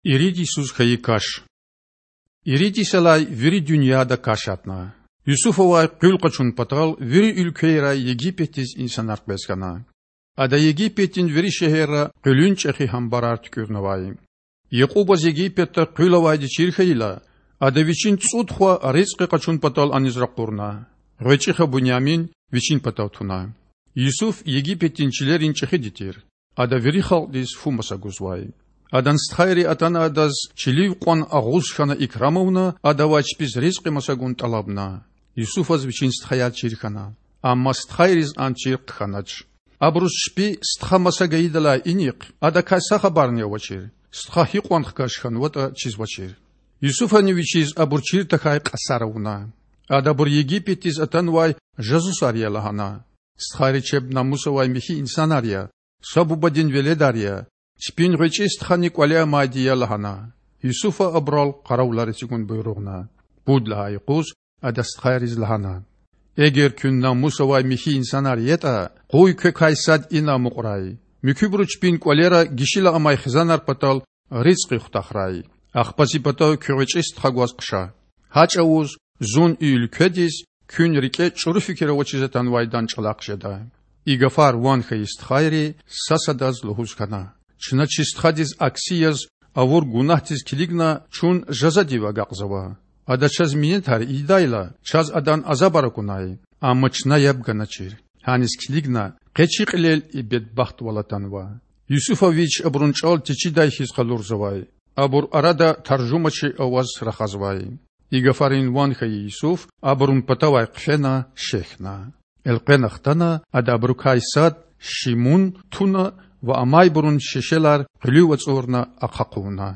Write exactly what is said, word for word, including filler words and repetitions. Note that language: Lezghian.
Ирид йисуз хьайи каш. Ирид йисалай вири дуьньяда каш гьатна. Юсуфавай къуьл къачун патал вири уьлквейрай Египетдиз инсанар къвез хьана. Ада Египетдин вири шегьерра къуьлуьн чІехи гьамбарар туькІуьрнавай. Якьубаз Египетда къуьл авайди чир хьайила, ада вичин цІуд хва ризкьи къачун патал аниз ракъурна. ГъвечІи хва Бунямин вичин патав туна. Юсуф Египетдин чилерин чІехиди тир. Ада вири халкьдиз фу маса гузвай. Адан стхайри атана адаз чилив кьван агъуз хьана икрам авуна, адавай чпиз ризкьи маса гун тІалабна. Юсуфаз вичин стхаяр чир хьана, амма стхайриз ам чир хъхьанач. Абуруз чпи стха маса гайидалай инихъ адакай са хабарни авачир, стха гьикьван хкаж хьанватІа чизвачир. Юсуфани вичиз абур чир тахьай кьасар авуна. Ада абур Египетдиз атанвай жасусар я лагьана. Стхайри чеб намус авай михьи инсанар я, са бубадин веледар я, чпин гъвечІи стхани кІвале амайди я лагьана. Юсуфа абурал къаравулар эцигун буйругъна. Пуд лагьай юкъуз ада стхайриз лагьана: Эгер куьн намус авай михьи инсанар ятІа, къуй квекай сад ина амукьрай. Муькуьбуру чпин кІвалера гишила амай хизанар патал ризкьи хутахрай. Ахпа зи патав куь гъвечІи стха гваз хъша. Гьа чІавуз зун и уьлкведиз куьн рикІе чІуру фикир авачиз атанвайдан чІалахъ жеда. И гафар ван хьайи стхайри са-садаз лугьуз хьана: Чна чи стхадиз акси яз авур гунагьдиз килигна чун жазадив агакьзава. Ада чаз минетар ийидайла, чаз адан азабар акунай, амма чна яб ганачир. Гьаниз килигна, къе чи кьилел и бедбахтвал атанва. Юсуфа вич абурун чІал течидай хьиз къалурзавай. Абур арада таржумачи аваз рахазвай. И гафарин ван хьайи Юсуф абурун патавай хъфена шехьна. Элкъвена хтана, ада абурукай сад, Шимун, туна ва амайбурун шешелар къуьлуьв ацІурна ахъа хъувуна.